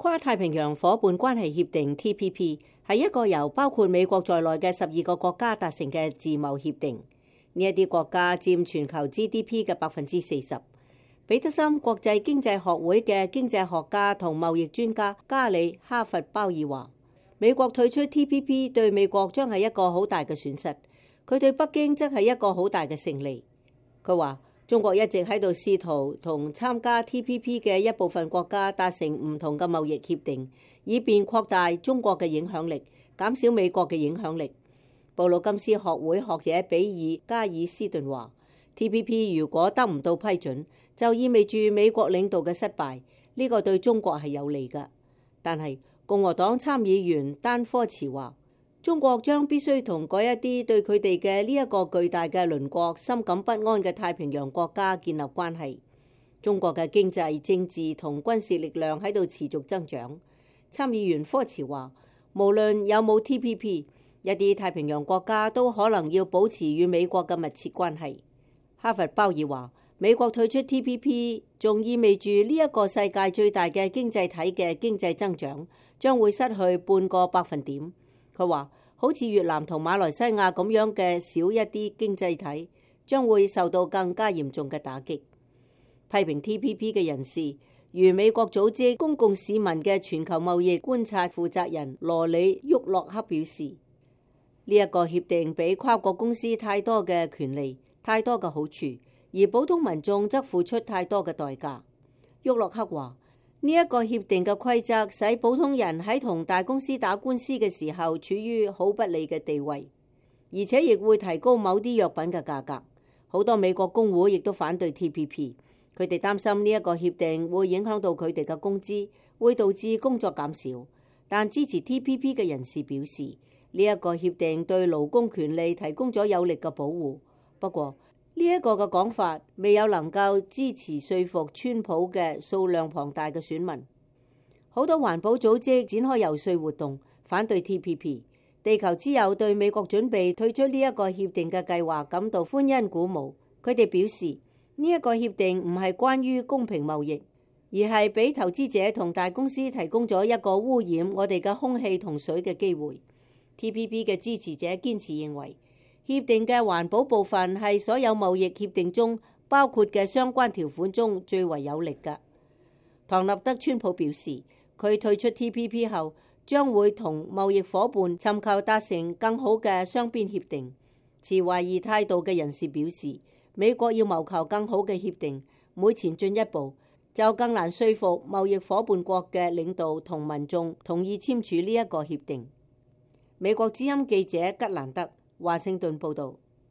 跨太平洋夥伴關係協定 TPP 係一個由包括美國在內嘅12個國家達成嘅自貿協定。呢一啲國家佔全球 GDP 嘅40%。彼得森國際經濟學會嘅經濟學家同貿易專家加里哈佛鮑爾話：美國退出 TPP 對美國將係一個好大嘅損失，佢對北京則係一個好大嘅勝利。佢話：中國一直喺度試圖同參加 TPP 嘅一部分國家達成唔同嘅貿易協定，以便擴大中國嘅影響力，減少美國嘅影響力。布魯金斯學會學者比爾加爾斯頓話 ：TPP 如果得唔到批准，就意味住美國領導嘅失敗，呢個對中國係有利㗎。但係共和黨參議員丹科茨話：中國將必須同嗰一啲對佢哋嘅呢一個巨大嘅鄰國深感不安嘅太平洋國家建立關係。中國嘅經濟、政治同軍事力量喺度持續增長。參議員科茨話：無論有冇 TPP， 一啲太平洋國家都可能要保持與美國嘅密切關係。哈佛鮑爾話：美國退出 TPP 仲意味住呢一個世界最大嘅經濟體嘅經濟增長將會失去半個百分點。佢話：好似越南同馬來西亞咁樣嘅少一啲經濟體，將會受到更加嚴重嘅打擊。批評 TPP 嘅人士，如美國組織公共市民嘅全球貿易觀察負責人羅里沃洛克表示：呢一個協定俾跨國公司太多嘅權利、太多嘅好處，而普通民眾則付出太多嘅代價。沃洛克話：呢一個協定嘅規則使普通人喺同大公司打官司嘅時候處於好不利嘅地位，而且亦會提高某啲藥品嘅價格。好多美國工會亦都反對 TPP， 佢哋擔心呢一個協定會影響到佢哋嘅工資，會導致工作減少。但支持 TPP 嘅人士表示，呢一個協定對勞工權利提供咗有力嘅保護。不過，呢一個嘅講法未有能夠支持說服川普嘅數量龐大嘅選民。好多環保組織展開遊說活動，反對 TPP。地球之友對美國準備退出呢一個協定嘅計劃感到歡欣鼓舞。佢哋表示，呢一個協定唔係關於公平貿易，而係俾投資者同大公司提供咗一個污染我哋嘅空氣同水嘅機會。TPP 嘅支持者堅持認為，協定嘅環保部分係所有貿易協定中包括嘅相關條款中最為有力嘅。唐納德·川普表示，佢退出 TPP 後將會同貿易夥伴尋求達成更好嘅雙邊協定。持懷疑態度嘅人士表示，美國要謀求更好嘅協定，每前進一步就更難說服貿易夥伴國嘅領導同民眾同意簽署呢一個協定。美國之音記者吉蘭德華盛頓報道。